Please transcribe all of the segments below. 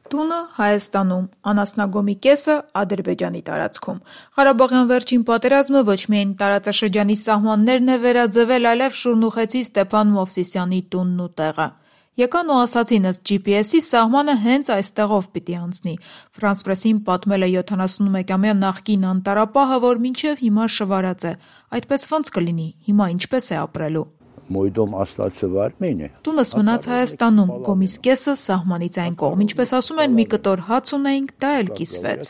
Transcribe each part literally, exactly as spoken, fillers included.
Տունը Հայաստանում, անասնագոմի կեսը Ադրբեջանի տարածքում։ Ղարաբաղյան վերջին պատերազմը ոչ միայն տարածաշրջանի սահմաններն է վերաձևել, այլև շուրնուխեցի Ստեփան Մովսիսյանի տունն ու տեղը։ Եկան ու ասացին ըստ ջի պի էսի սահմանը հենց այստեղով պիտի անցնի։ Ֆրանս Պրեսին պատմել է յոթանասունմեկամյա նախկին անտառապահը, որ մինչև հիմա շվարած է։ Այդպես ոնց կլինի, հիմա ինչպես է ապրելու։ Մոյդոմ աստացը վարմին է։ Տունս մնաց Հայաստանում, գոմիս կեսը սահմանից այն կողմ, ինչպես ասում են, մի կտոր հաց ունեինք, դա էլ կիսվեց։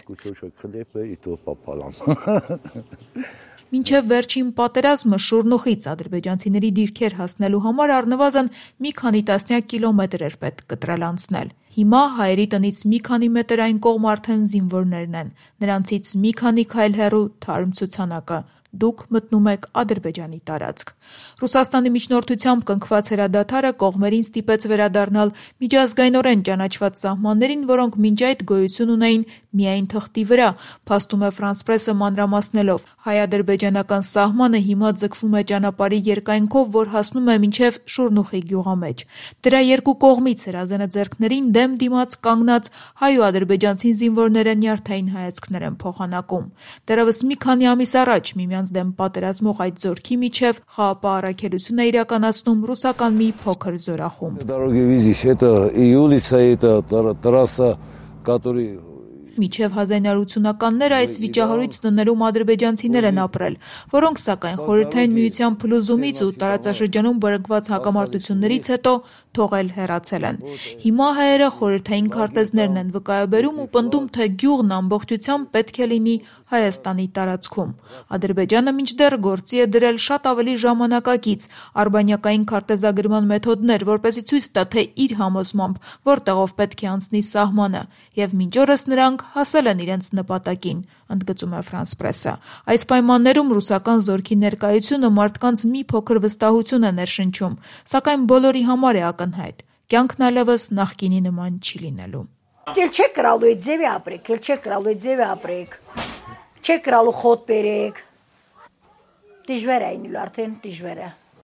Մինչև վերջին պատերազմը շուրնուխից ադրբեջանցիների դիրքեր հասնելու համար առնվազն մի քանի տասնյակ կիլոմետր էր պետք կտրել անցնել։ Հիմա հայերի տնից մի քանի մետր այն կողմ արդեն զինվորներն են, նրանցից մի քանի քայլ հեռու թարմ ցուցանակը։ Դուք մտնում եք Ադրբեջանի տարածք։ Ռուսաստանի միջնորդությամբ կնքված հրադադարը կողմերին ստիպեց վերադառնալ միջազգայնորեն ճանաչված սահմաններին, որոնք մինչ այդ գոյություն ունեին միայն թղթի վրա, փաստում է Ֆրանս Պրեսը մանրամասնելով։ Հայ-ադրբեջանական սահմանը հիմա ձգվում է ճանապարհի երկայնքով, որ հասնում է մինչև Շուրնուխի գյուղամեջ։ Դրա երկու կողմից հրազենը ձեռքներին դեմ դիմաց կանգնած հայ ու ադրբեջանցի զինվորները նյարդային հայացքներ են փոխանակում։ Դեռևս մի քանի ամիս առաջ միմյանց դեմ պատերազմող այդ զորքի միջև խաղապահ առաքելություն է իրականացնում ռուսական մի փոքր զորախումբ։ Մինչև հազար ինը հարյուր ութսունականները այս վիճահարույց տներում ադրբեջանցիներ են ապրել, որոնք սակայն Խորհրդային Միության փլուզումից ու տարածաշրջանում բռնկված հակամարտություններից հետո թողել հեռացել են։ Հիմա հայերը խորհրդային քարտեզներն են վկայաբերում ու պնդում, թե գյուղն ամբողջությամբ պետք է լինի Հայաստանի տարածքում։ Ադրբեջանը մինչդեռ գործի է դրել շատ ավելի ժամանակակից արբանյակային քարտեզագրման մեթոդներ, որպեսզի ցույց տա, թե իր համոզմամբ որտեղով պետք է անցնի սահմանը, եւ մինչ օրս նրանք հասել են իրենց նպատակին, ընդգծում է Ֆրանս Պրեսը։ Այս պայմաններում ռուսական զորքի ներկայությունը մարդկանց մի փոքր վստահություն է ներշնչում, սակայն բոլորի համար է ակնհայտ։ Կյանքն այլևս նախկինի նման չի լինելու։ Էլ չեք կրալու այդ ձևի ապրեք, էլ չեք կրալու այդ ձևի ապրեք։ Չեք կրալու խոտ բերեք։ Դժվար է այնու արդեն դժվար է։